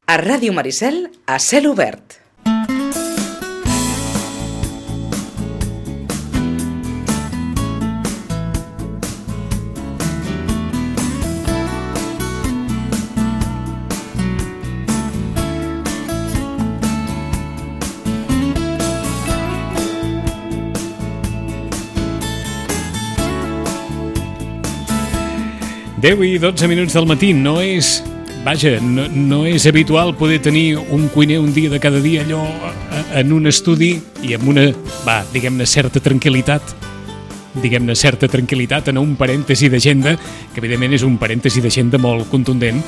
A Ràdio Maricel, a cel obert. Deu i 12 minuts del matí. No és habitual poder tenir un cuiner un dia de cada dia allò en un estudi i amb una, diguem-ne, certa tranquil·litat en un parèntesi d'agenda, que evidentment és un parèntesi d'agenda molt contundent,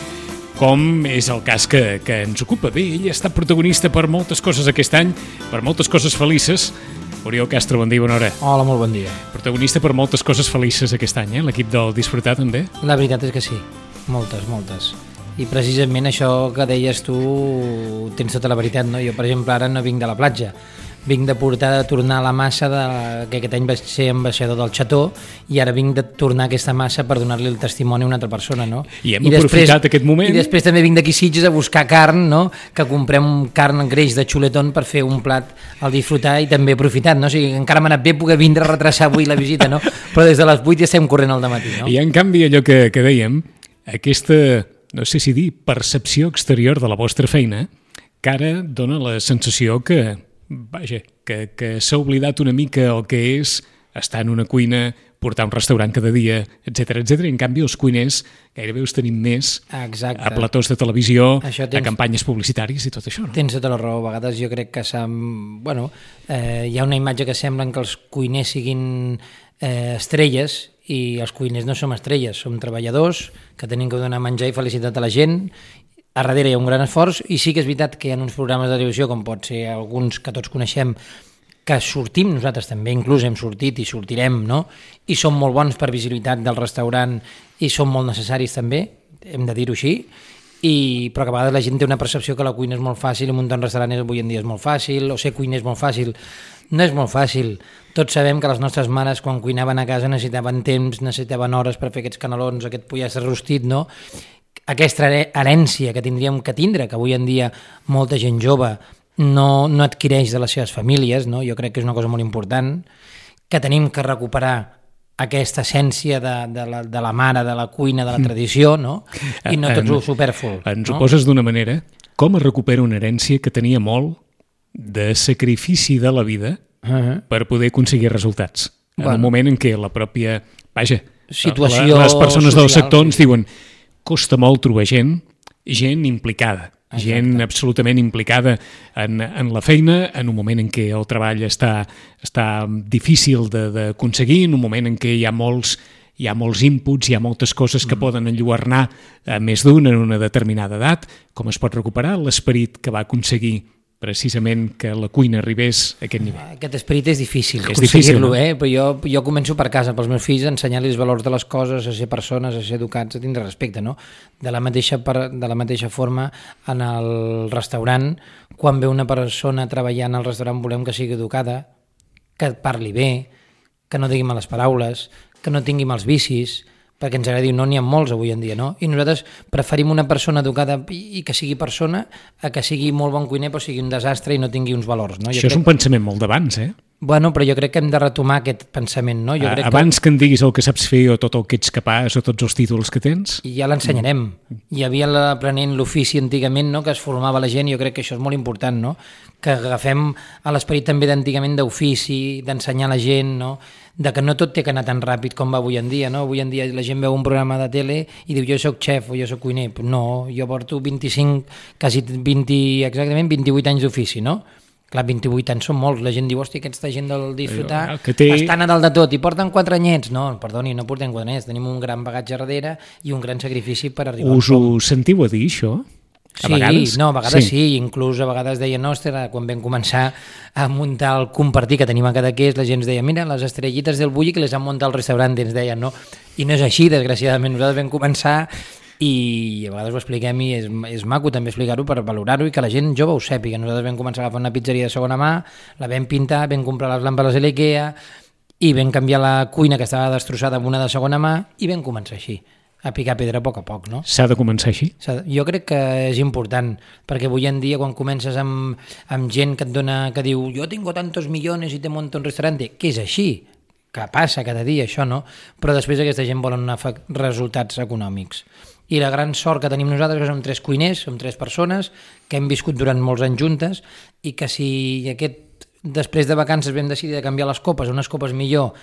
com és el cas que ens ocupa. Bé, ell ha estat protagonista per moltes coses aquest any, per moltes coses felices. Oriol Castro, bon dia, bona hora. Hola, molt bon dia. Protagonista per moltes coses felices aquest any, l'equip del Disfrutar també? La veritat és que sí, moltes. I precisament això que deies tu, tens tota la veritat, no? Jo, per exemple, ara no vinc de la platja, vinc de tornar la massa que aquest any vaig ser ambaixador del Xató, i ara vinc de tornar aquesta massa per donar-li el testimoni a una altra persona, no? I hem aprofitat aquest moment. I després també vinc d'aquí Sitges a buscar carn, no? Que comprem carn greix de xuletón per fer un plat al Disfrutar, i també he aprofitat, no? O sigui, encara m'ha anat bé poder vindre a retrasar avui la visita, no? Però des de les 8 ja estem corrent al dematí, no? I en canvi allò que dèiem, aquesta, no sé si dir, percepció exterior de la vostra feina, que ara dona la sensació que s'ha oblidat una mica el que és estar en una cuina, portar un restaurant cada dia, etc. I en canvi els cuiners gairebé us tenim més a platós de televisió, a campanyes publicitàries i tot això, no? Tens tota la raó. A vegades jo crec que hi ha una imatge que semblen que els cuiners siguin estrelles, i els cuiners no som estrelles, som treballadors que tenim que donar menjar i felicitat a la gent. A darrere hi ha un gran esforç, i sí que és veritat que hi ha uns programes de televisió, com pot ser alguns que tots coneixem, que sortim, nosaltres també inclús hem sortit i sortirem, no? I són molt bons per visibilitat del restaurant i són molt necessaris també, hem de dir-ho així, però que a vegades la gent té una percepció que la cuina és molt fàcil, i muntar un restaurant avui en dia és molt fàcil, o ser cuiner és molt fàcil. No és molt fàcil. Tots sabem que les nostres mares, quan cuinaven a casa, necessitaven temps, necessitaven hores per fer aquests canelons, aquest pollastre rostit, no? Aquesta herència que tindríem que tindre, que avui en dia molta gent jove no adquireix de les seves famílies, no? Jo crec que és una cosa molt important, que tenim que recuperar aquesta essència de la mare, de la cuina, de la tradició, no? I no tot el superflu. Ens ho poses d'una manera. Com es recupera una herència que tenia molt de sacrifici de la vida per poder aconseguir resultats? En un moment en què la pròpia situació, les persones del sector ens diuen costa molt trobar gent implicada, gent absolutament implicada en la feina, en un moment en què el treball està difícil d'aconseguir, en un moment en què hi ha molts inputs, hi ha moltes coses que poden enlluernar a més d'un en una determinada edat. Com es pot recuperar l'esperit que va aconseguir precisament que la cuina arribés a aquest nivell? Aquest esperit és difícil aconseguir-lo, però jo començo per casa, pels meus fills, a ensenyar-los els valors de les coses, a ser persones, a ser educats, a tindre respecte, no? De la mateixa forma, en el restaurant, quan ve una persona treballant al restaurant, volem que sigui educada, que parli bé, que no digui males paraules, que no tingui mals vicis, perquè ens agradi, no n'hi ha molts avui en dia, no? I nosaltres preferim una persona educada i que sigui persona a que sigui molt bon cuiner però sigui un desastre i no tingui uns valors, no? Això és un pensament molt d'abans, Bueno, però jo crec que hem de retomar aquest pensament, no? Abans que en diguis el que saps fer o tot el que ets capaç o tots els títols que tens? I ja l'ensenyarem. Hi havia l'aprenent l'ofici antigament, no?, que es formava la gent, i jo crec que això és molt important, no?, que agafem a l'esperit també d'antigament d'ofici, d'ensenyar a la gent, no?, de que no tot té que anar tan ràpid com va avui en dia, no? Avui en dia la gent veu un programa de tele i diu jo soc xef o jo soc cuiner. No, jo porto 28 anys d'ofici, no? Clar, 28 anys són molts. La gent diu, hòstia, aquesta gent del Disfrutar estan a dalt de tot i porten 4 anyets. No, perdoni, no portem 4 anyets. Tenim un gran bagatge darrere i un gran sacrifici per arribar. Us ho sentiu a dir, això? A vegades sí. Inclús a vegades deien, quan vam començar a muntar el compartir que tenim a Cadaqués, la gent ens deia, mira, les estrellites del Bulli que les han muntat al restaurant, ens deien, no? I no és així, desgraciadament. Nosaltres vam començar i a vegades ho expliquem i és maco també explicar-ho per valorar-ho i que la gent jove ho sàpiga. Nosaltres vam començar a agafar una pizzeria de segona mà, la vam pintar, vam comprar les làmpades a l'IKEA i vam canviar la cuina que estava destrossada amb una de segona mà i vam començar així. a picar pedra a poc, no? S'ha de començar així? Jo crec que és important, perquè avui en dia quan comences amb gent que et dona, que diu jo tengo tantos millones i te monto un restaurante, que és així, que passa cada dia això, no? Però després aquesta gent volen resultats econòmics. I la gran sort que tenim nosaltres que som 3 cuiners, som 3 persones que hem viscut durant molts anys juntes i que si després de vacances vam decidir de canviar les copes, unes copes millor,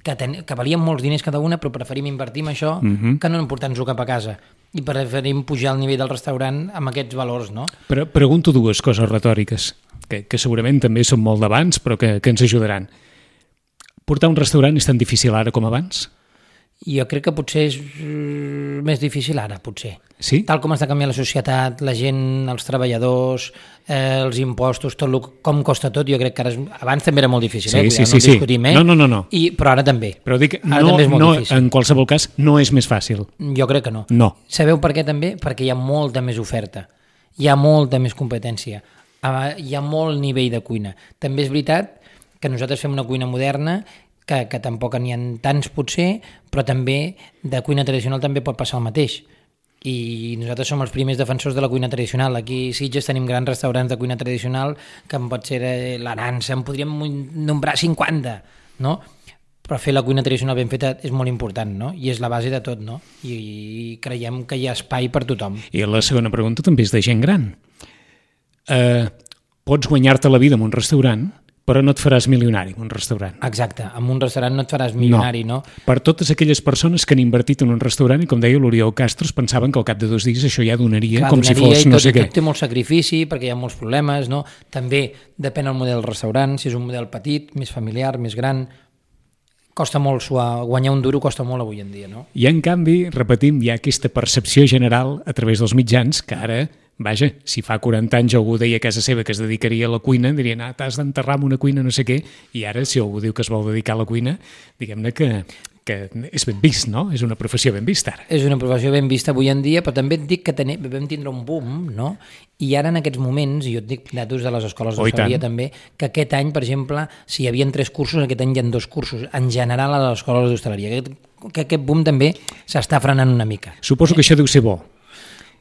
que valien molts diners cada una, però preferim invertir en això que no emportar-nos-ho cap a casa. I preferim pujar el nivell del restaurant amb aquests valors, no? Però pregunto 2 coses retòriques, que segurament també són molt d'abans, però que ens ajudaran. Portar un restaurant és tan difícil ara com abans? Jo crec que potser és més difícil ara, potser. Sí? Tal com està canviant la societat, la gent, els treballadors, els impostos, com costa tot, jo crec que ara abans també era molt difícil, sí, no discutim, No. Però ara també. Però dic, també és molt difícil. En qualsevol cas, no és més fàcil. Jo crec que no. No. Sabeu per què també? Perquè hi ha molta més oferta, hi ha molta més competència, hi ha molt nivell de cuina. També és veritat que nosaltres fem una cuina moderna que tampoc n'hi ha tants potser, però també de cuina tradicional també pot passar el mateix. I nosaltres som els primers defensors de la cuina tradicional. Aquí a Sitges tenim grans restaurants de cuina tradicional que pot ser l'Arança, en podríem nombrar 50, no? Però fer la cuina tradicional ben feta és molt important, no? I és la base de tot, no? I creiem que hi ha espai per tothom. I la segona pregunta també és de gent gran. Pots guanyar-te la vida en un restaurant, però no et faràs milionari en un restaurant. Exacte, en un restaurant no et faràs milionari, no? Per totes aquelles persones que han invertit en un restaurant i, com deia l'Oriol Castro, pensaven que al cap de 2 dies això ja donaria. Clar, com si fos no sé què. Té molt sacrifici perquè hi ha molts problemes, no? També depèn del model del restaurant, si és un model petit, més familiar, més gran, costa molt guanyar un duro costa molt avui en dia, no? I en canvi, repetim, hi ha aquesta percepció general a través dels mitjans que ara, vaja, si fa 40 anys algú deia a casa seva que es dedicaria a la cuina, dirien, t'has d'enterrar en una cuina no sé què, i ara si algú diu que es vol dedicar a la cuina, diguem-ne que és ben vist, no? És una professió ben vista ara. És una professió ben vista avui en dia, però també et dic que vam tindre un boom, no? I ara en aquests moments, i jo et dic datos de les escoles d'hostaleria també, que aquest any, per exemple, si hi havia 3 cursos, aquest any hi ha 2 cursos, en general a les escoles d'hostaleria. Que aquest boom també s'està frenant una mica. Suposo que això deu ser bo.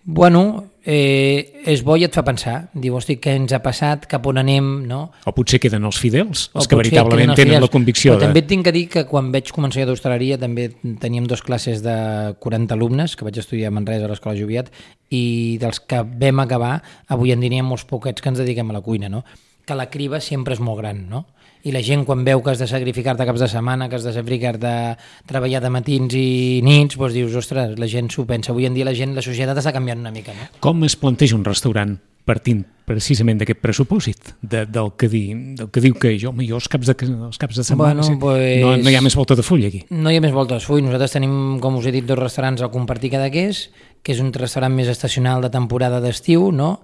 Bueno, és bo i et fa pensar. Diu, hosti, què ens ha passat, cap on anem, no? O potser queden els fidels, els que veritablement tenen la convicció. Però també et tinc que dir que quan vaig començar d'hostaleria també teníem 2 classes de 40 alumnes, que vaig estudiar a Manresa a l'Escola Joviat, i dels que vam acabar, avui en dia n'hi ha molts poquets que ens dediquem a la cuina, no? Que la criba sempre és molt gran, no? I la gent quan veu que has de sacrificar-te caps de setmana, que has de sacrificar-te treballar de matins i nits, doncs dius, ostres, la gent s'ho pensa. Avui en dia la societat està canviant una mica, no? Com es planteja un restaurant partint precisament d'aquest pressupòsit, del que diu que jo els caps de setmana no hi ha més volta de full aquí? No hi ha més volta de full. Nosaltres tenim, com us he dit, 2 restaurants al Compartir Cadaqués, que és un restaurant més estacional de temporada d'estiu, no?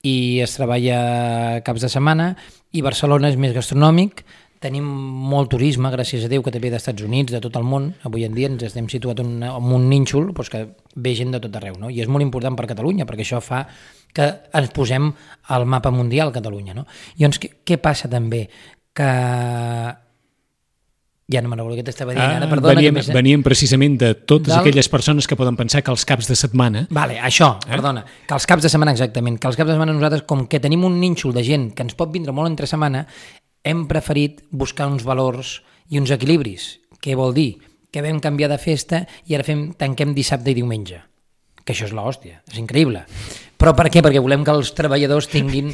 I es treballa caps de setmana, i Barcelona és més gastronòmic, tenim molt turisme, gràcies a Déu, que també ve d'Estats Units, de tot el món, avui en dia ens estem situat en un nínxol doncs que ve gent de tot arreu, no? I és molt important per Catalunya, perquè això fa que ens posem al mapa mundial Catalunya, no? I llavors, què passa també? Que ja no me'n recordo què t'estava dient ara, perdona. Veníem precisament de totes aquelles persones que poden pensar que els caps de setmana... Vale, això, perdona, que els caps de setmana, exactament, que els caps de setmana nosaltres, com que tenim un nínxol de gent que ens pot vindre molt entre setmana, hem preferit buscar uns valors i uns equilibris. Què vol dir? Que vam canviar de festa i ara tanquem dissabte i diumenge. Que això és l'hòstia, és increïble. Però per què? Perquè volem que els treballadors tinguin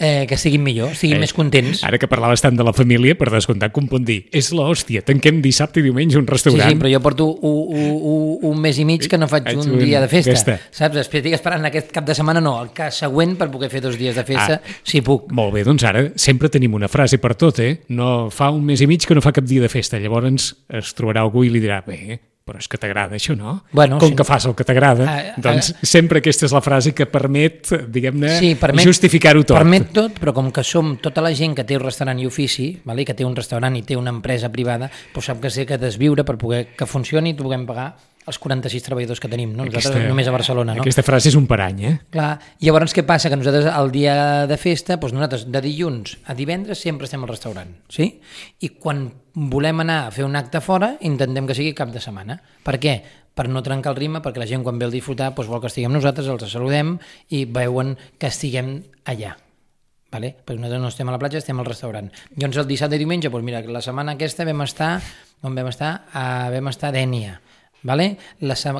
que siguin millor, siguin més contents. Ara que parlaves tant de la família, per descomptat que em pot dir, és l'hòstia, tanquem dissabte i diumenge un restaurant. Sí, però jo porto un mes i mig que no faig un dia de festa. Saps? Estic esperant aquest cap de setmana, no, el cas següent per poder fer 2 dies de festa, si puc. Molt bé, doncs ara sempre tenim una frase per tot, No fa un mes i mig que no fa cap dia de festa, llavors es trobarà algú i li dirà, bé, però és que t'agrada això, no? Bueno, com que fas el que t'agrada, doncs sempre aquesta és la frase que permet, diguem-ne, justificar-ho tot. Permet tot, però com que som tota la gent que té un restaurant i ofici, que té un restaurant i té una empresa privada, doncs sap que sé que desviure per poder que funcioni i puguem pagar els 46 treballadors que tenim, no? Nosaltres només a Barcelona, no? Aquesta frase és un parany, Clar, llavors què passa? Que nosaltres el dia de festa, doncs nosaltres de dilluns a divendres sempre estem al restaurant, sí? I quan volem anar a fer un acte fora, intentem que sigui cap de setmana. Per què? per no trencar el ritme, perquè la gent quan ve a disfrutar doncs vol que estiguem nosaltres, els saludem i veuen que estiguem allà. Vale? Perquè nosaltres no estem a la platja, estem al restaurant. Llavors el dissabte i diumenge, doncs mira, la setmana aquesta vam estar a Dénia. Vale?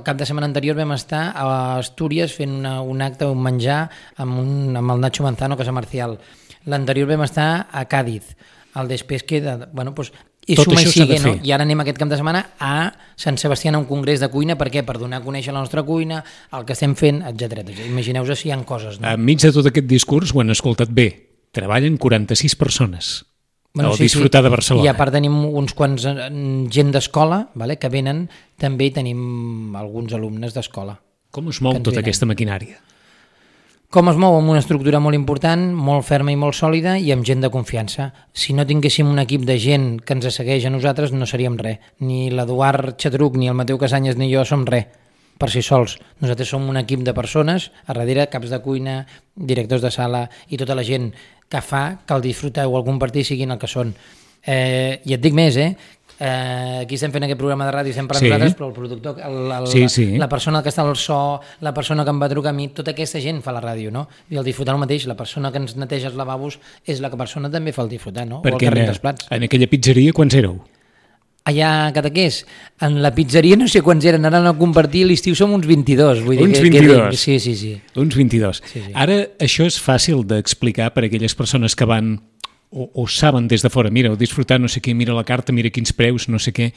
Cap de setmana anterior vam estar a Astúries fent un acte, un menjar amb el Nacho Manzano, Casa Marcial. L'anterior vam estar a Càdiz. El després queda... Bueno, doncs, i suma i sigue, no? I ara anem aquest cap de setmana a Sant Sebastià a un congrés de cuina. Per què? Per donar a conèixer la nostra cuina, el que estem fent, etc. Imagineu-vos si hi ha coses. No? Enmig de tot aquest discurs ho han escoltat bé. Treballen 46 persones. Bueno, disfrutar de Barcelona. I a part tenim uns quants gent d'escola, vale, que venen, també hi tenim alguns alumnes d'escola. Com es mou tota aquesta maquinària? Com es mou? Amb una estructura molt important, molt ferma i molt sòlida i amb gent de confiança. Si no tinguéssim un equip de gent que ens segueix a nosaltres, no seríem res. Ni l'Eduard Xatruc, ni el Mateu Casanyes, ni jo som res per si sols. Nosaltres som un equip de persones, a darrere caps de cuina, directors de sala i tota la gent que fa que el disfrutar o el compartir siguin el que són. I et dic més, aquí estem fent aquest programa de ràdio, estem parlant nosaltres, però el productor, la persona que està al so, la persona que em va trucar a mi, tota aquesta gent fa la ràdio, no? I el disfrutar el mateix, la persona que ens neteja els lavabos és la persona que també fa el disfrutar, no? Perquè en aquella pizzeria quants éreu? Allà a Cadaqués, en la pizzeria no sé quants eren, ara no compartir, l'estiu som uns 22. Vull dir uns 22? Sí. Uns 22. Sí. Ara això és fàcil d'explicar per a aquelles persones que van o saben des de fora, mira, o disfrutar no sé què, mira la carta, mira quins preus, no sé què.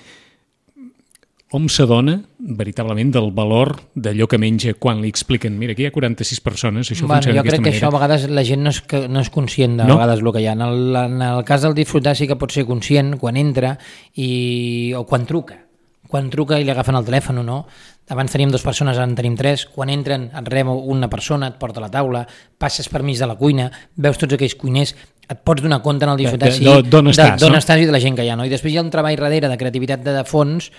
Hom s'adona veritablement del valor d'allò que menja quan li expliquen, mira, aquí hi ha 46 persones, això funciona d'aquesta manera. Jo crec que això a vegades la gent no és conscient de vegades el que hi ha. En el cas del disfrutar sí que pot ser conscient quan entra o quan truca. Quan truca i li agafen el telèfon o no. Abans teníem 2 persones, ara en tenim 3. Quan entren et rep una persona, et porta a la taula, passes per mig de la cuina, veus tots aquells cuiners, et pots donar compte en el disfrutar d'on estàs i de la gent que hi ha. No? I després hi ha un treball darrere de creativitat de fons,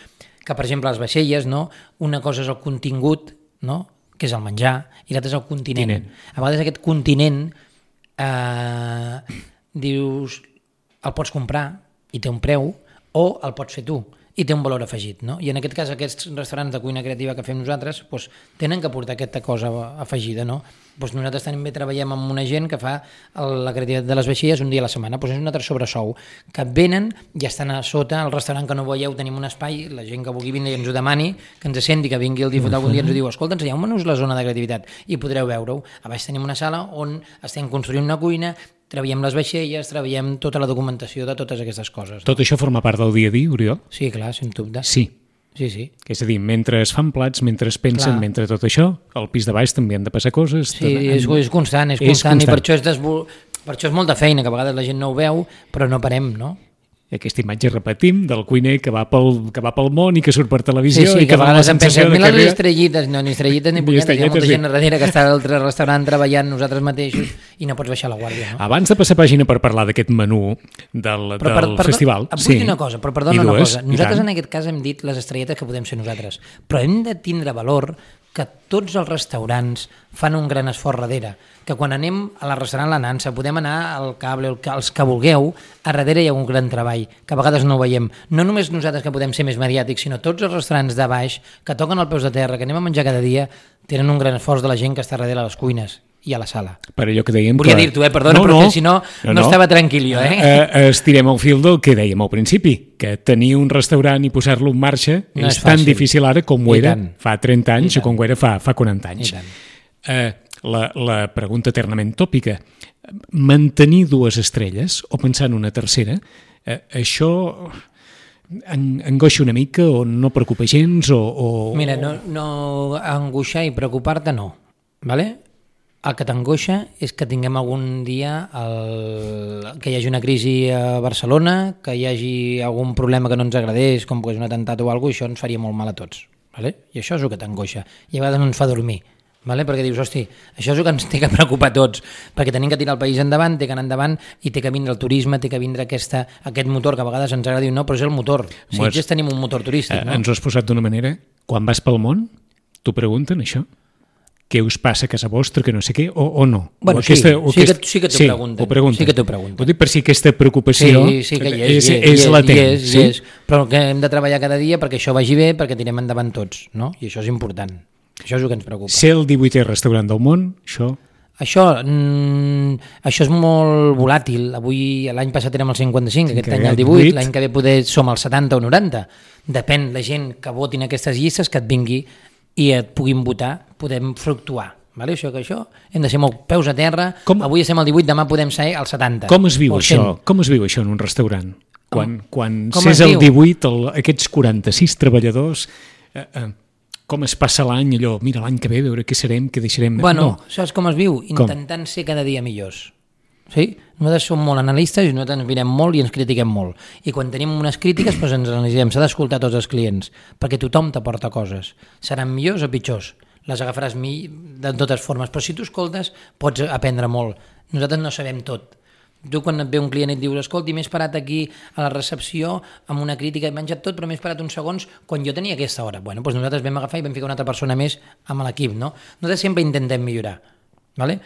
que per exemple les vaixelles, no? Una cosa és el contingut, no? Que és el menjar, i l'altre és el continent. A vegades aquest continent dius el pots comprar i té un preu, o el pots fer tu i té un valor afegit, no? I en aquest cas aquests restaurants de cuina creativa que fem nosaltres doncs, tenen que portar aquesta cosa afegida, no? Doncs nosaltres també treballem amb una gent que fa la creativitat de les vaixelles un dia a la setmana, doncs és un altre sobresou, que venen i estan a sota, al restaurant que no veieu tenim un espai, la gent que vulgui vindre i ens ho demani, que ens senti, que vingui el disfrutar algun dia, ens ho diu, escolta, ensenyeu-nos la zona de creativitat i podreu veure-ho. A baix tenim una sala on estem construint una cuina, treballem les vaixelles, treballem tota la documentació de totes aquestes coses. Tot això forma part del dia a dia, Oriol? Sí, clar, sens dubte. Sí. És a dir, mentre es fan plats, mentre es pensen, mentre tot això, al pis de baix també han de passar coses. Sí, és constant, i per això és molta feina, que a vegades la gent no ho veu, però no parem, no? Aquesta imatge repetim del cuiner que va pel món i que surt per televisió i que a vegades em pensa, mira les estrellites, no, ni estrellites ni punyetes, hi ha molta gent darrere que està a l'altre restaurant treballant nosaltres mateixos i no pots baixar la guàrdia, no? Abans de passar pàgina per parlar d'aquest menú del festival... Vull dir una cosa, però perdona una cosa. Nosaltres en aquest cas hem dit les estrelletes que podem ser nosaltres, però hem de tindre valor que tots els restaurants fan un gran esforç darrere, que quan anem a la restaurant La Nansa, podem anar al Cable, els que vulgueu, a darrere hi ha un gran treball, que a vegades no ho veiem. No només nosaltres que podem ser més mediàtics, sinó tots els restaurants de baix, que toquen els peus de terra, que anem a menjar cada dia, tenen un gran esforç de la gent que està darrere a les cuines i a la sala. Per allò que dèiem... Volia dir-t'ho, perdona, perquè si no estava tranquil jo. Estirem el fil del que dèiem al principi, que tenir un restaurant i posar-lo en marxa és tan difícil ara com ho era fa 30 anys o com ho era fa 40 anys. La pregunta eternament tòpica, mantenir 2 estrelles o pensar en una tercera, això angoixa una mica o no preocupa gens? Mira, no angoixar i preocupar-te no, ¿vale? El que t'angoixa és que tinguem algun dia que hi hagi una crisi a Barcelona, que hi hagi algun problema que no ens agradés, com que és un atemptat o alguna cosa, i això ens faria molt mal a tots. ¿Vale? I això és el que t'angoixa. I a vegades no ens fa dormir. ¿Vale? Perquè dius, hosti, això és el que ens té que preocupar a tots, perquè tenim que tirar el país endavant, té que anar endavant i té que vindre el turisme, té que vindre aquest motor que a vegades ens agrada dir, no, però és el motor. Sitges tenim un motor turístic. No? Ens ho has posat d'una manera, quan vas pel món, t'ho pregunten això? què us passa a casa vostra, que no sé què, o no? Bueno, sí que t'ho pregunten. Sí que t'ho pregunten. Ho dic per si aquesta preocupació que és latent. És, però que hem de treballar cada dia perquè això vagi bé, perquè tirem endavant tots, no? I això és important. Això és el que ens preocupa. Ser el 18è restaurant del món, això... Això és molt volàtil. L'any passat érem el 55, aquest any el 18, l'any que ve poder som el 70 o 90. Depèn la gent que votin aquestes llistes, que et vingui i et puguin votar, podem fluctuar. Vale? Això hem de ser molt peus a terra. Avui estem al 18, demà podem ser al 70. Com es viu això? Com es viu això en un restaurant? Quan s'és el 18, aquests 46 treballadors, com es passa l'any, allò, mira, l'any que ve, veure què serem, què deixarem... Bueno, saps com es viu? Intentant ser cada dia millors. Sí? Nosaltres som molt analistes i nosaltres ens mirem molt i ens critiquem molt. I quan tenim unes crítiques ens analitzem. S'ha d'escoltar tots els clients, perquè tothom t'aporta coses. Seran millors o pitjors. Les agafaràs de totes formes, però si tu escoltes pots aprendre molt. Nosaltres no sabem tot. Tu quan et ve un client i et dius escolti, m'he esperat aquí a la recepció amb una crítica, he menjat tot però m'he esperat uns segons quan jo tenia aquesta hora. Bueno, doncs nosaltres vam agafar i vam ficar una altra persona més amb l'equip, no? Nosaltres sempre intentem millorar, ¿vale?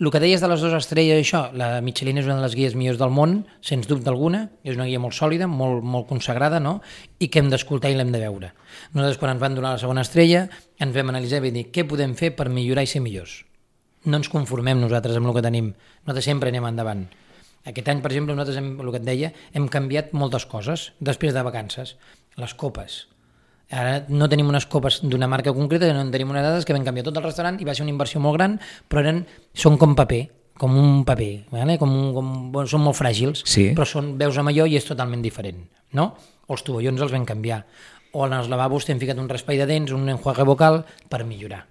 El que deies de les 2 estrelles, això, la Michelin és una de les guies millors del món, sens dubte alguna, és una guia molt sòlida, molt consagrada, no? I que hem d'escoltar i l'hem de veure. Nosaltres, quan ens van donar la segona estrella, ens vam analitzar i vam dir què podem fer per millorar i ser millors. No ens conformem nosaltres amb el que tenim, nosaltres sempre anem endavant. Aquest any, per exemple, nosaltres, el que et deia, hem canviat moltes coses després de vacances. Les copes. Ara no tenim unes copes d'una marca concreta, no en tenim unes dades que vam canviar tot el restaurant i va ser una inversió molt gran, però són com paper, com un paper, ¿vale? Són molt fràgils, sí. Però veus amb allò i és totalment diferent, no? O els tovallons els vam canviar, o en els lavabos t'hem ficat un raspall de dents, un enjuague vocal per millorar.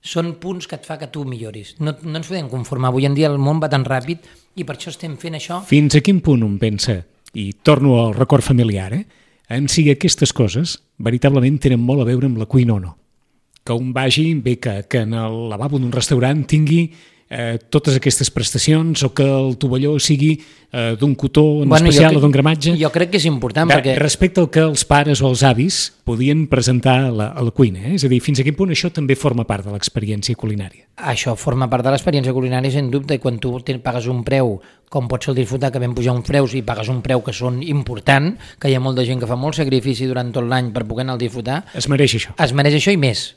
Són punts que et fa que tu milloris. No ens podem conformar, avui en dia el món va tan ràpid i per això estem fent això. Fins a quin punt un pensa, i torno al record familiar, en si aquestes coses veritablement tenen molt a veure amb la cuina o no. Que un vagi, bé que en el lavabo d'un restaurant tingui totes aquestes prestacions o que el tovalló sigui d'un cotó especial o d'un gramatge. Jo crec que és important perquè... Respecte al que els pares o els avis podien presentar a la cuina. És a dir, fins a quin punt això també forma part de l'experiència culinària? Això forma part de l'experiència culinària, sens dubte, i quan tu pagues un preu, com pot ser el disfrutar, que vam pujar uns preus i pagues un preu que són important, que hi ha molta gent que fa molt sacrifici durant tot l'any per poder anar al disfrutar. Es mereix això. Es mereix això i més.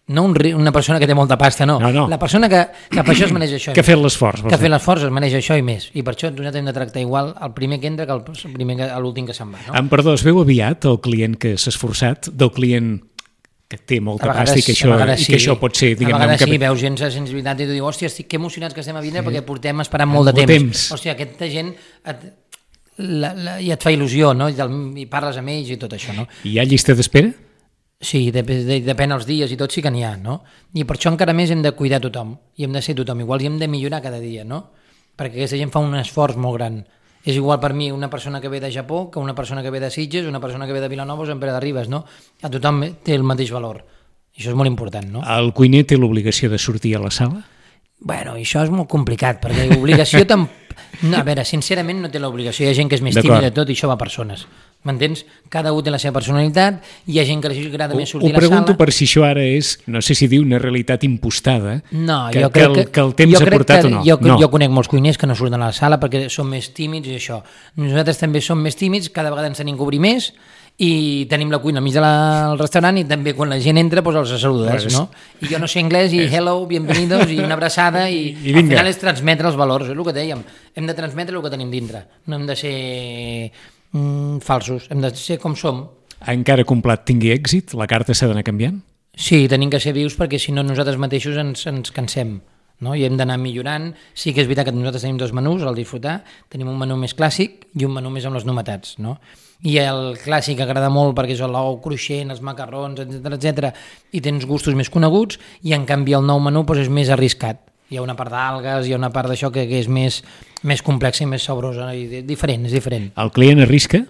No una persona que té molta pasta, no. La persona que per això es mereix això. Que ha fet l'esforç. Que ha fet l'esforç es mereix això i més. I per això nosaltres hem de tractar igual el primer que entra que l'últim que se'n va. No? Perdó, es veu aviat el client que s'ha esforçat del client que té molta pasta i que això pot ser... A vegades sí, veus gent de sensibilitat i tu dius, hòstia, estic que emocionats que estem a vindre perquè portem esperant molt de temps. Hòstia, aquesta gent i et fa il·lusió, no? I parles amb ells i tot això, no? Hi ha llista d'espera? Sí, depèn dels dies i tot sí que n'hi ha, no? I per això encara més hem de cuidar tothom i hem de ser tothom igual i hem de millorar cada dia, no? Perquè aquesta gent fa un esforç molt gran. És igual per mi una persona que ve de Japó que una persona que ve de Sitges, una persona que ve de Vilanova o Sant Pere de Ribes, no? A tothom té el mateix valor. I això és molt important, no? El cuiner té l'obligació de sortir a la sala? Bueno, això és molt complicat, perquè l'obligació a veure, sincerament no té l'obligació. Hi ha gent que és més tímida de tot i això va a persones. M'entens? Cada un té la seva personalitat, hi ha gent que li agrada més sortir a la sala. Ho pregunto per si això ara és, no sé si diu una realitat impostada, no, que el temps ha portat o no. Jo conec molts cuiners que no surten a la sala perquè són més tímids i això. Nosaltres també som més tímids, cada vegada ens tenim que obrir més i tenim la cuina al mig del restaurant i també quan la gent entra doncs els saludes, no? I jo no sé anglès i hello, bienvenidos i una abraçada i al final és transmetre els valors, és el que dèiem. Hem de transmetre el que tenim dintre, no hem de ser falsos, hem de ser com som. Encara que un plat tingui èxit, la carta s'ha d'anar canviant? Sí, tenim que ser vius perquè si no nosaltres mateixos ens cansem, no? I hem d'anar millorant. Sí que és veritat que nosaltres tenim 2 menús al disfrutar, tenim un menú més clàssic i un menú més amb les novetats, no? I el clàssic agrada molt perquè és l'ou cruixent, els macarrons, etc. I tens gustos més coneguts i en canvi el nou menú és més arriscat. Hi ha una part d'algues, hi ha una part d'això que és més complexa i més sabrosa, i diferent, és diferent. El client arrisca?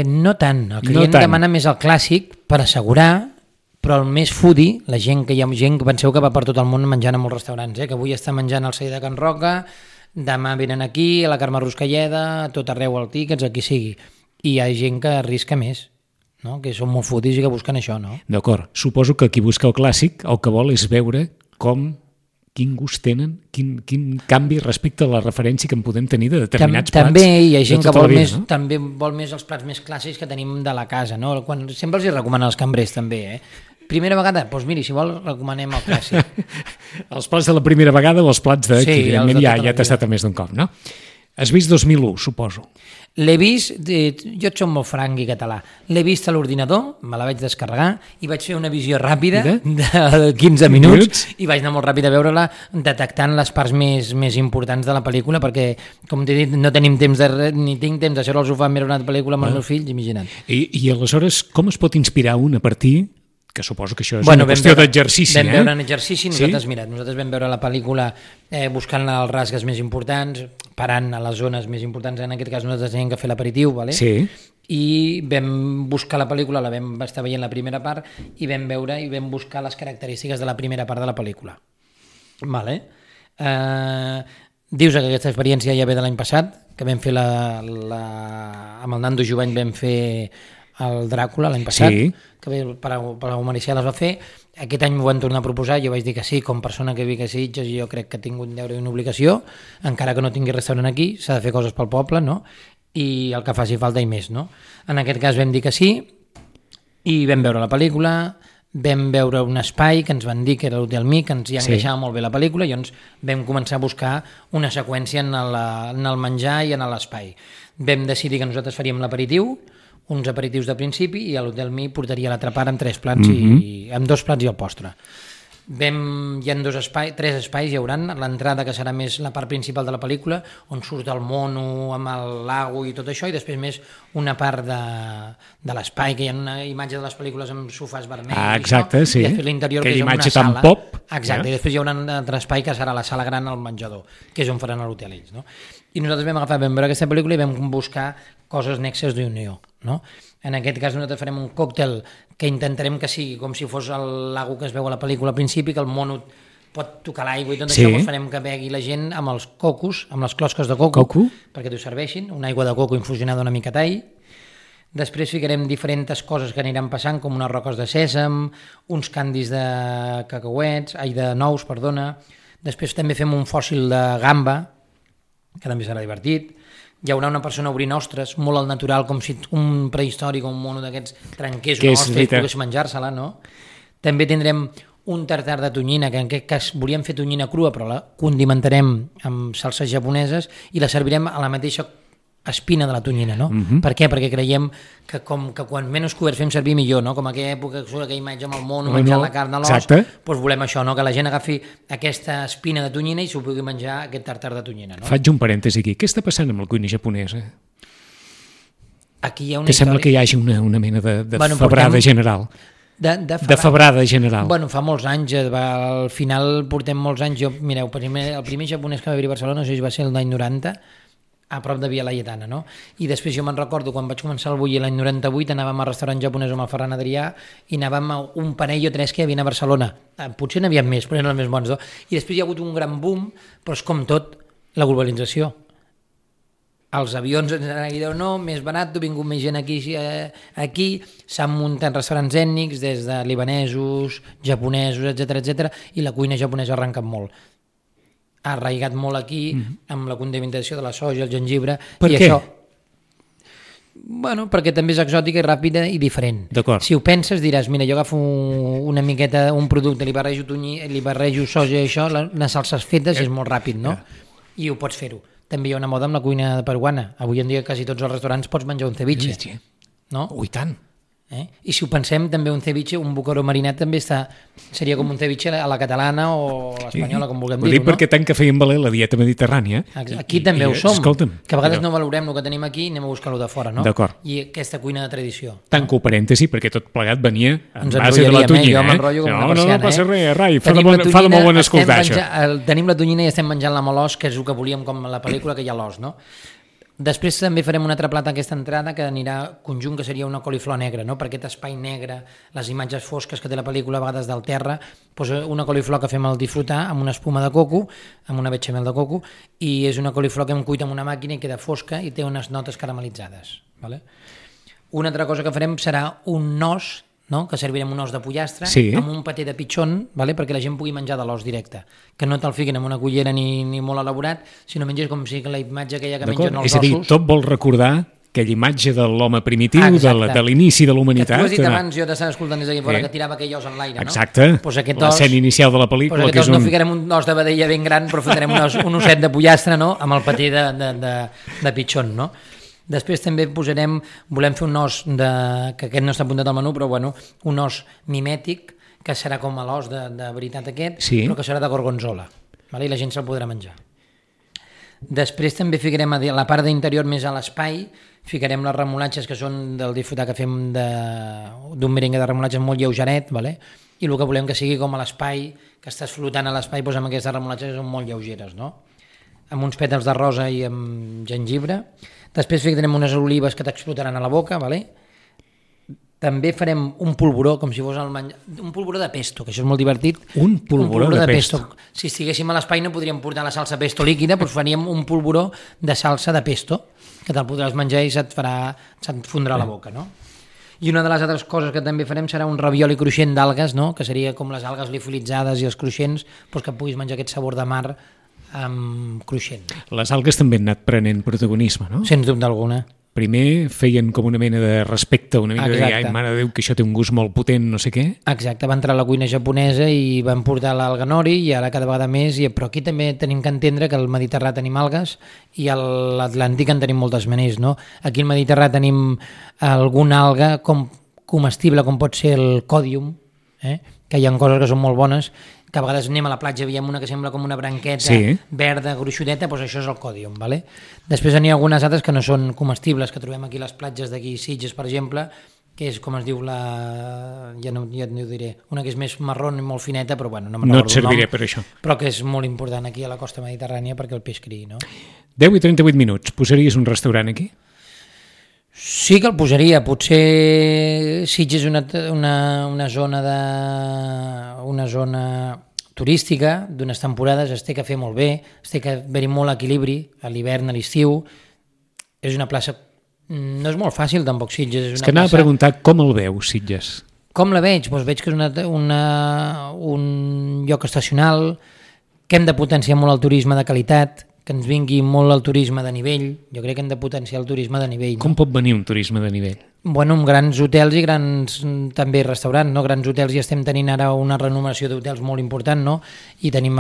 No tant, el client demana més el clàssic per assegurar, però el més foodie, la gent que hi ha gent que penseu que va per tot el món menjant a molts restaurants, que avui està menjant al celler de Can Roca, demà venen aquí, a la Carme Ruscalleda, tot arreu al Tickets, aquí sigui. I hi ha gent que arrisca més, no? Que són molt fotis i que busquen això, no? D'acord. Suposo que qui busca el clàssic el que vol és veure quin gust tenen, quin canvi respecte a la referència que en podem tenir de determinats plats. També hi ha gent que vol vida, no? també vol més els plats més clàssics que tenim de la casa, no? Sempre els hi recomanen els cambrers, també, Primera vegada, doncs miri, si vol, recomanem el clàssic. Els plats de la primera vegada o els plats de... Sí, que evidentment ja t'ha estat a més d'un cop, no? Has vist 2001, suposo. L'he vist, jo et soc molt franc i català, l'he vist a l'ordinador, me la vaig descarregar i vaig fer una visió ràpida de 15 minuts i vaig anar molt ràpid a veure-la detectant les parts més importants de la pel·lícula perquè, com t'he dit, no tenim temps ni tinc temps de seure al sofà a mirar una pel·lícula amb els meus fills, imagina't. I aleshores, com es pot inspirar un a partir... que suposo que això és una qüestió d'exercici. Vam veure en exercici, nosaltres vam veure la pel·lícula buscant els rasgues més importants, parant a les zones més importants, en aquest cas nosaltres teníem que fer l'aperitiu, ¿vale? Sí. I vam buscar la pel·lícula, la vam estar veient la primera part i vam veure i vam buscar les característiques de la primera part de la pel·lícula. Vale? Dius que aquesta experiència ja ve de l'any passat, que vam fer amb el Nando Jovany vam fer el Dràcula l'any passat, que per la Maricel es va fer. Aquest any m'ho van tornar a proposar, jo vaig dir que sí, com persona que vic a Sitges, jo crec que tinc un deure i una obligació, encara que no tingui restaurant aquí, s'ha de fer coses pel poble, no? I el que faci falta i més, no? En aquest cas vam dir que sí, i vam veure la pel·lícula, vam veure un espai que ens van dir que era l'Hotel Mi, que ens hi encaixava molt bé la pel·lícula, i llavors vam començar a buscar una seqüència en el menjar i en l'espai. Vam decidir que nosaltres faríem l'aperitiu, uns aperitius de principi, i a l'Hotel Mi portaria l'altra part amb 3 plats amb 2 plats i el postre. Hi ha 3 espais, hi haurà l'entrada, que serà més la part principal de la pel·lícula, on surt el mono amb el lago i tot això, i després més una part de l'espai, que hi ha una imatge de les pel·lícules amb sofàs vermells, exacte, sí. I després l'interior, que és una imatge sala. tan pop. Exacte, i després hi haurà un altre espai que serà la sala gran al menjador, que és on faran l'hotel ells, no? I nosaltres vam veure aquesta pel·lícula i vam buscar coses nexes d'unió, no? En aquest cas nosaltres farem un còctel que intentarem que sigui com si fos el lago que es veu a la pel·lícula al principi, que el mono pot tocar l'aigua i tot això, doncs farem que begui la gent amb els cocos, amb les closques de coco. Perquè t'ho serveixin, una aigua de coco infusionada una mica tall. Després ficarem diferents coses que aniran passant, com unes roques de sèsam, uns candis de nous, perdona. Després també fem un fòssil de gamba, que també serà divertit. Hi haurà una persona obrint ostres, molt al natural, com si un prehistòric o un mono d'aquests trenqués una ostra i pogués menjar-se-la, no? També tindrem un tartar de tonyina, que en aquest cas volíem fer tonyina crua, però la condimentarem amb salses japoneses i la servirem a la mateixa espina de la tonyina, no? Per què? Perquè creiem que com que quan menys cobert fem servir millor, no? Com aquella època que surt aquella imatge amb el mono menjant la carn a l'os, doncs volem això, no? Que la gent agafi aquesta espina de tonyina i s'ho pugui menjar aquest tartar de tonyina, no? Faig un parèntesi aquí. Què està passant amb la cuina japonesa? Aquí hi ha una que sembla que hi hagi una mena de febrada general. De febrada general. Bueno, fa molts anys, al final portem molts anys. Mireu, el primer japonès que va haver-hi a Barcelona, no sé si va ser l'any 90, a prop de Via Laietana, no? I després jo me'n recordo, quan vaig començar el Bulli l'any 98, anàvem al restaurant japonès amb el Ferran Adrià i anàvem a un parell o 3 que hi havia a Barcelona. Potser n'hi havia més, però eren els més bons, no? I després hi ha hagut un gran boom, però és com tot, la globalització. Els avions ens han dit, no, més barat, ha vingut més gent aquí, s'han muntat restaurants ètnics, des de libanesos, japonesos, etc, i la cuina japonesa ha arrencat molt. Ha arraigat molt aquí amb la condimentació de la soja, el gengibre. Per què? Això, bueno, perquè també és exòtica i ràpida i diferent. D'acord. Si ho penses diràs, mira, jo agafo una miqueta, un producte, li barrejo soja i això, les salses fetes és molt ràpid, no? I ho pots fer-ho. També hi ha una moda amb la cuina peruana. Avui en dia quasi tots els restaurants pots menjar un ceviche. No? Ui, tant. I si ho pensem, també un ceviche, un boqueró marinat també seria com un ceviche a la catalana o a l'espanyola, com vulguem dir-ho, no? Perquè tant que feien valer la dieta mediterrània. Aquí també ho som, escolta'm, que a vegades no valorem el que tenim aquí i anem a buscar-ho de fora, no? D'acord. I aquesta cuina de tradició. Tanco parèntesi, perquè tot plegat venia en Ens base de la tonyina. Jo m'enrotllo com una persiana. No passa res, Rai, fa de molt bon escoltar això. Tenim la tonyina i estem menjant-la amb l'os, que és el que volíem com a la pel·lícula, que hi ha l'os, no? Després també farem un altre plat a aquesta entrada que anirà conjunt, que seria una coliflor negra, no? Per aquest espai negre, les imatges fosques que té la pel·lícula a vegades del terra, doncs una coliflor que fem al disfrutar amb una espuma de coco, amb una bechamel de coco, i és una coliflor que hem cuit amb una màquina i queda fosca i té unes notes caramelitzades. Vale? Una altra cosa que farem serà un nos, no? Que servirem un os de pollastre amb un paté de pitxon, vale? Perquè la gent pugui menjar de l'os directe, que no te'l fiquin en una cullera ni molt elaborat, sinó menges com si la imatge aquella que mengen els ossos. És a dir, tot vol recordar aquella imatge de l'home primitiu, de l'inici de la humanitat. Que tu has dit abans, jo t'estava escoltant des d'aquí fora, que tirava aquell os en l'aire, no? Exacte, l'escena inicial de la pel·lícula. Pues no ficarem un os de vedella ben gran, però ficarem un osset de pollastre, no? Amb el paté de pitxon, no? Després també volem fer un os, que aquest no està apuntat al menú, però bueno, un os mimètic, que serà com l'os de veritat aquest, però que serà de gorgonzola, i la gent se'l podrà menjar. Després també ficarem a la part d'interior més a l'espai, ficarem les remolatges que són del disfrutar que fem d'un merengue de remolatges molt lleugeret, i el que volem que sigui com a l'espai, que estàs flotant a l'espai amb aquestes remolatges que són molt lleugeres, amb uns pètals de rosa i amb gengibre. Després ficarem unes olives que t'explotaran a la boca, també farem un polvoró, com si fos un polvoró de pesto, que això és molt divertit. Un polvoró de pesto. Si estiguéssim a l'espai no podríem portar la salsa pesto líquida, doncs faríem un polvoró de salsa de pesto, que te'l podràs menjar i se't fondrà a la boca, no? I una de les altres coses que també farem serà un ravioli cruixent d'algues, no? Que seria com les algues liofilitzades i els cruixents, doncs que puguis menjar aquest sabor de mar cruixent. Les algues també han anat prenent protagonisme, no? Sens dubte alguna. Primer feien com una mena de respecte, una mica de ai, mare de Déu, que això té un gust molt potent, no sé què. Exacte, va entrar a la cuina japonesa i van portar l'alga nori i ara cada vegada més, però aquí també tenim que entendre que al Mediterrani tenim algues i a l'Atlàntic en tenim moltes meners, no? Aquí al Mediterrani tenim alguna alga comestible com pot ser el còdium, que hi ha coses que són molt bones, que a vegades anem a la platja, veiem una que sembla com una branqueta verda, gruixudeta, doncs això és el còdium. Després n'hi ha algunes altres que no són comestibles, que trobem aquí a les platges d'aquí, Sitges, per exemple, que és, com es diu, ja no ho diré, una que és més marró i molt fineta, però bueno, no me'n recordo el nom. No et serviré per això. Però que és molt important aquí a la costa mediterrània perquè el peix criï, no? 10 i 38 minuts. Posaries un restaurant aquí? Sí que el posaria, potser Sitges és una zona turística d'unes temporades, es té que fer molt bé, es té que haver-hi molt equilibri a l'hivern, a l'estiu, és una plaça, no és molt fàcil tampoc Sitges. És que anava a preguntar com el veus, Sitges? Com la veig? Doncs veig que és un lloc estacional, que hem de potenciar molt el turisme de qualitat, que ens vingui molt el turisme de nivell. Jo crec que hem de potenciar el turisme de nivell. Com pot venir un turisme de nivell? Bueno, amb grans hotels i grans també restaurants, no? Grans hotels, i estem tenint ara una renovació d'hotels molt important, no? I tenim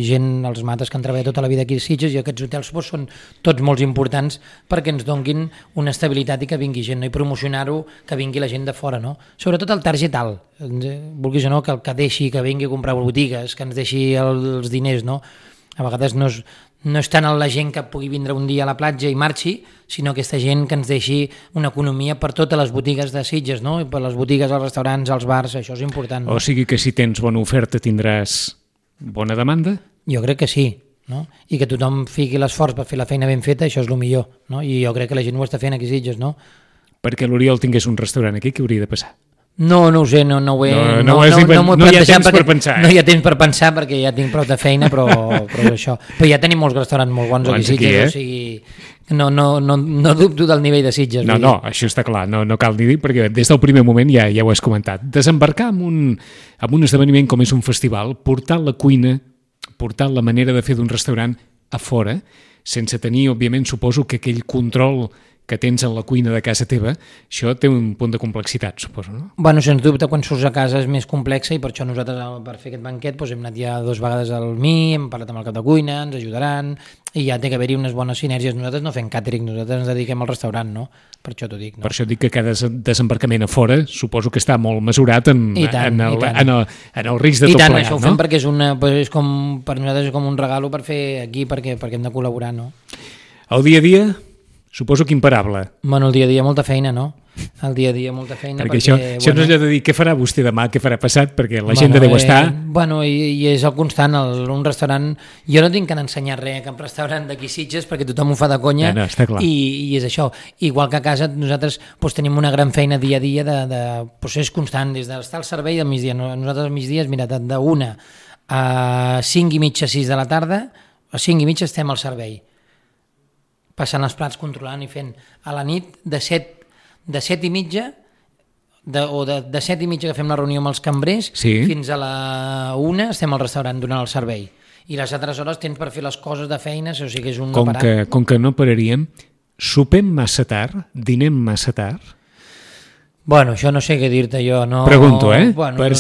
gent, els mates que han treballat tota la vida aquí a Sitges, i aquests hotels són tots molt importants perquè ens donguin una estabilitat i que vingui gent, no? I promocionar-ho, que vingui la gent de fora, no? Sobretot el target alt, vulguis o no, que deixi, que vingui a comprar botigues, que ens deixi els diners, no? A vegades no és tant la gent que pugui vindre un dia a la platja i marxi, sinó aquesta gent que ens deixi una economia per totes les botigues de Sitges, no? I per les botigues, els restaurants, els bars, això és important. No? O sigui que si tens bona oferta tindràs bona demanda? Jo crec que sí, no? I que tothom fiqui l'esforç per fer la feina ben feta, això és el millor, no? I jo crec que la gent ho està fent aquí a Sitges, no? Perquè l'Oriol tingués un restaurant aquí, què hauria de passar? No ho sé, no m'ho he plantejat perquè no hi ha temps per pensar perquè ja tinc prou de feina, però això. Però ja tenim molts restaurants molt bons aquí a Sitges, o sigui, no dubto del nivell de Sitges. No, això està clar, no cal ni dir, perquè des del primer moment ja ho has comentat. Desembarcar en un esdeveniment com és un festival, portar la cuina, portar la manera de fer d'un restaurant a fora, sense tenir, òbviament, suposo que aquell control que tens en la cuina de casa teva, això té un punt de complexitat, suposo, no? Bueno, sens dubte, quan surts a casa és més complexa i per això nosaltres, per fer aquest banquet, hem anat ja 2 vegades al MI, hem parlat amb el cap de cuina, ens ajudaran, i ja té que haver-hi unes bones sinergies. Nosaltres no fem càtering, nosaltres ens dediquem al restaurant, no? Per això t'ho dic, no? Per això dic que cada desembarcament a fora suposo que està molt mesurat en el risc de tot plegat, no? I tant, això ho fem perquè per nosaltres és com un regalo per fer aquí, perquè hem de col·laborar, no? El dia a dia, suposo que imparable. Bueno, el dia a dia molta feina, no? El dia a dia molta feina. Perquè això no és allò de dir què farà vostè demà, què farà passat, perquè l'agenda deu estar... Bueno, i és el constant, un restaurant... Jo no tinc que ensenyar res a cap restaurant d'aquí Sitges perquè tothom ho fa de conya, no, està clar. I és això. Igual que a casa nosaltres tenim una gran feina dia a dia de procés constant, des d'estar al servei del migdia. Nosaltres al migdia, mira, d'1 a 5:30, 6 de la tarda, a 5:30 estem al servei, passant els plats, controlant i fent. A la nit, de 7 de 7:30 de 7:30 que fem la reunió amb els cambrers fins a la 1 estem al restaurant donant el servei. I les altres hores tens per fer les coses de feines, o sigui que és un no parar. Com que no pararíem, sopem massa tard, dinem massa tard? Bueno, això no sé què dir-te jo. No... Pregunto, Bueno, per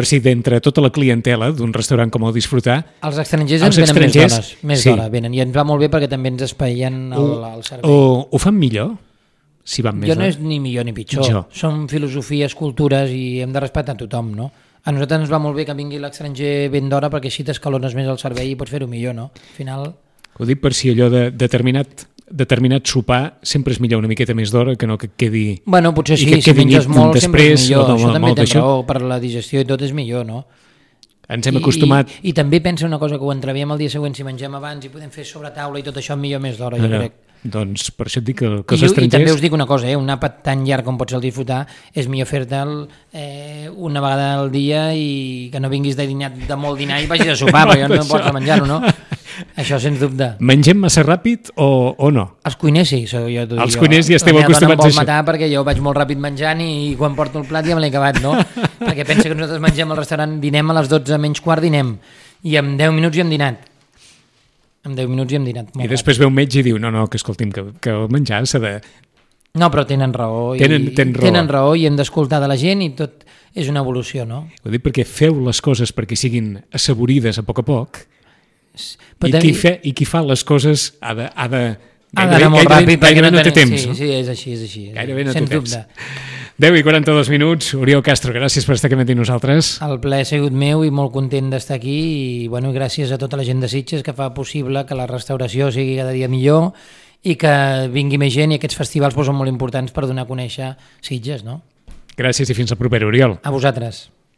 si d'entre tota la clientela d'un restaurant com el Disfrutar... Els estrangers ens venen més d'hora, venen, i ens va molt bé perquè també ens espaien el servei. Ho fan millor? Si van més jo no és ni millor ni pitjor. Són filosofies, cultures i hem de respectar tothom, no? A nosaltres ens va molt bé que vingui l'estranger ben d'hora perquè així t'escalones més el servei i pots fer-ho millor, no? Al final... Ho dic per si allò de determinat sopar sempre és millor una miqueta més d'hora que no que quedi... Bueno, potser sí, si menges molt sempre és millor. Això també tens raó, per la digestió i tot és millor, no? Ens hem acostumat... I també pensa una cosa, que ho entreviem el dia següent, si mengem abans i podem fer sobre taula i tot això millor més d'hora, jo crec. Doncs per això et dic que els estrangers... I també us dic una cosa, un àpat tan llarg com pot ser el Disfrutar, és millor fer-te'l una vegada al dia i que no vinguis de molt dinar i vagis a sopar, perquè no pots menjar-ho, no? Això sens dubte. Mengem massa ràpid o no? Els cuiners sí. Els cuiners ja esteu acostumats a això. Matar perquè jo vaig molt ràpid menjant i quan porto el plat ja me l'he acabat, no? Perquè pensa que nosaltres mengem al restaurant, dinem a les 12 menys quart, dinem, i en 10 minuts ja hem dinat. En 10 minuts ja hem dinat. I després ve un metge i diu, no, que escolti'm, que el menjar s'ha de... No, però tenen raó. Tenen raó i hem d'escoltar de la gent i tot és una evolució, no? Ho dic perquè feu les coses perquè siguin assaborides a poc, qui fa les coses ha d'anar molt ràpid perquè no té temps. Sí, és així. Gairebé no té temps. 10:42 minuts. Oriol Castro, gràcies per estar aquí amb nosaltres. El plaer ha sigut meu i molt content d'estar aquí i gràcies a tota la gent de Sitges que fa possible que la restauració sigui cada dia millor i que vingui més gent, i aquests festivals són molt importants per donar a conèixer Sitges, no? Gràcies i fins al proper, Oriol. A vosaltres.